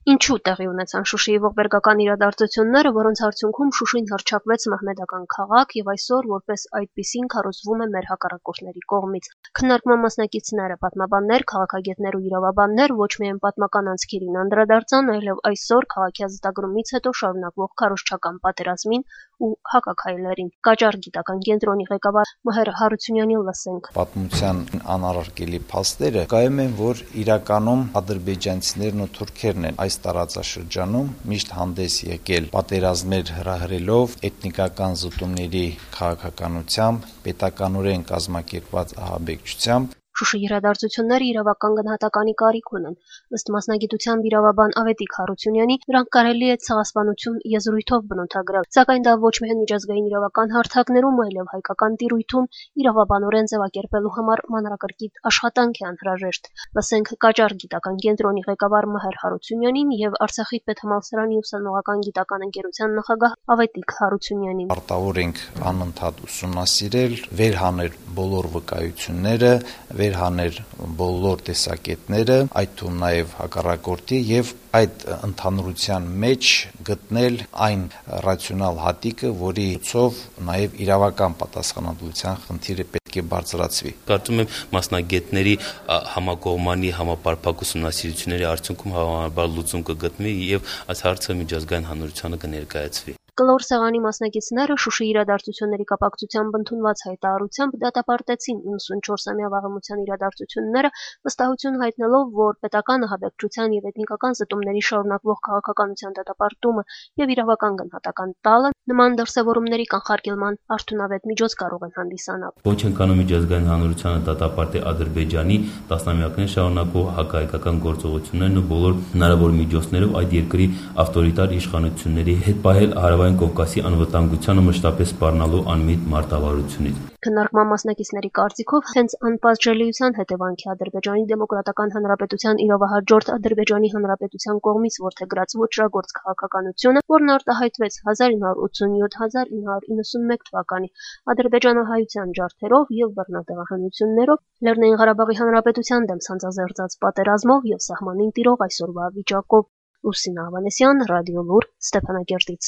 Ինչու տեղի ունեցան Շուշիի ողբերգական իրադարձությունները, որոնց արդյունքում Շուշին հռչակվեց մահմեդական քաղաք եւ այսօր որպես այդպիսին քարոզվում է մեր հակառակորդների կողմից։ Քննարկման մասնակիցները, պատմաբաններ, քաղաքագետներ ու իրավաբաններ ոչ միայն պատմական անցքերին անդրադարձան, այլև այսօր քաղաքի ազատագրումից հետո շարունակվող քարոզչական պատերազմին ու հակաքայլերին։ Կաճար գիտական կենտրոնի ղեկավար Մհեր Հարությունյանի լսենք։ Պատմության անառարկելի փաստերը կայում են, որ իրականում ադրբեջանցիներն ու թուրքերն են այս տարածաշրջանում միշտ հանդես եկել պատերազմներ հրահրելով, էթնիկական զուտումների քաղաքականությամբ, պետականորեն կազմակերպված ահաբեկչությամբ։ Շուշի իրադարձությունները իրավական գնահատականի կարիք ունեն։ Ըստ մասնագիտությամբ իրավաբան Ավետիք Հարությունյանի, դրանք կարելի է ցեղասպանություն եզրույթով բնութագրել, սակայն դա ոչ միայն միջազգային իրավական հարթակներում, այլև հայկական տիրույթում իրավաբանորեն ձևակերպելու համար մանրակրկիտ աշխատանք է անհրաժեշտ։ Լսենք Կաճար գիտական կենտրոնի ղեկավար Մհեր Հարությունյանին եւ Արցախի պետհամալսարանի ուսանողական գիտական ընկերության նախագահ Ավետիք Հարությունյանին։ Արտավոր ենք անընդհատ ուսումնասիրել, վերհանել բոլոր վկայությունները, վերհանել բոլոր տեսակետները, այդ թվում նաև հակառակորդի եւ այդ ընդհանրության մեջ գտնել այն ռացիոնալ հատիկը, որի ցով նաև իրավական պատասխանատվության խնդիրը պետք է բարձրացվի։ Կարծում եմ մասնագետների համակողմանի համապարփակ ուսումնասիրությունների արդյունքում հավանաբար լուծում կգտնվի եւ այս հարցը միջազգային հանրությանը կներկայացվի։ Կլոր սեղանի մասնակիցները Շուշի իրադարձությունների կապակցությամբ ընդունված հայտարարությամբ դատապարտեցին 94-ամյա վաղեմության իրադարձությունները, վստահություն հայտնելով, որ պետական ահաբեկչության եւ էթնիկական զտումների շարունակվող քաղաքականության դատապարտումը եւ իրավական գնահատական տալը նման դրսևորումների կանխարգելման արդյունավետ միջոց կարող են հանդիսանալ։ Ոչ են կանում միջազգային հանրությանը դատապարտի Ադրբեջանի տասնամյակներ շարունակվող հակահայկական գործողություններն ու բոլոր հնարավոր միջոցներով այդ երկրի ավտորիտար իշխանությունների հետ պահել Հարավային Կովկասի անվտանգությանը մշտապես սպառնալու անմիտ մարտավարությունից։ Քննարկման մասնակիցների կարծիքով հենց անպատժելիության հետևանքի Ադրբեջանի Դեմոկրատական Հանրապետության իրավահաջորդ Ադրբեջանի Հանրապետության կողմից որդեգրած ոճրագործ քաղաքականությունը, որն արտահայտվեց 1987-1991 թվականի ադրբեջանահայության ջարդերով եւ բռնատեղահանություններով, Լեռնային Ղարաբաղի Հանրապետության դեմ սանձազերծած պատերազմով եւ սահմանին տիրող այսօրվա վիճակով։ Լուսինա Ավանեսյան, Ռադիոլուր, Ստեփանակերտից։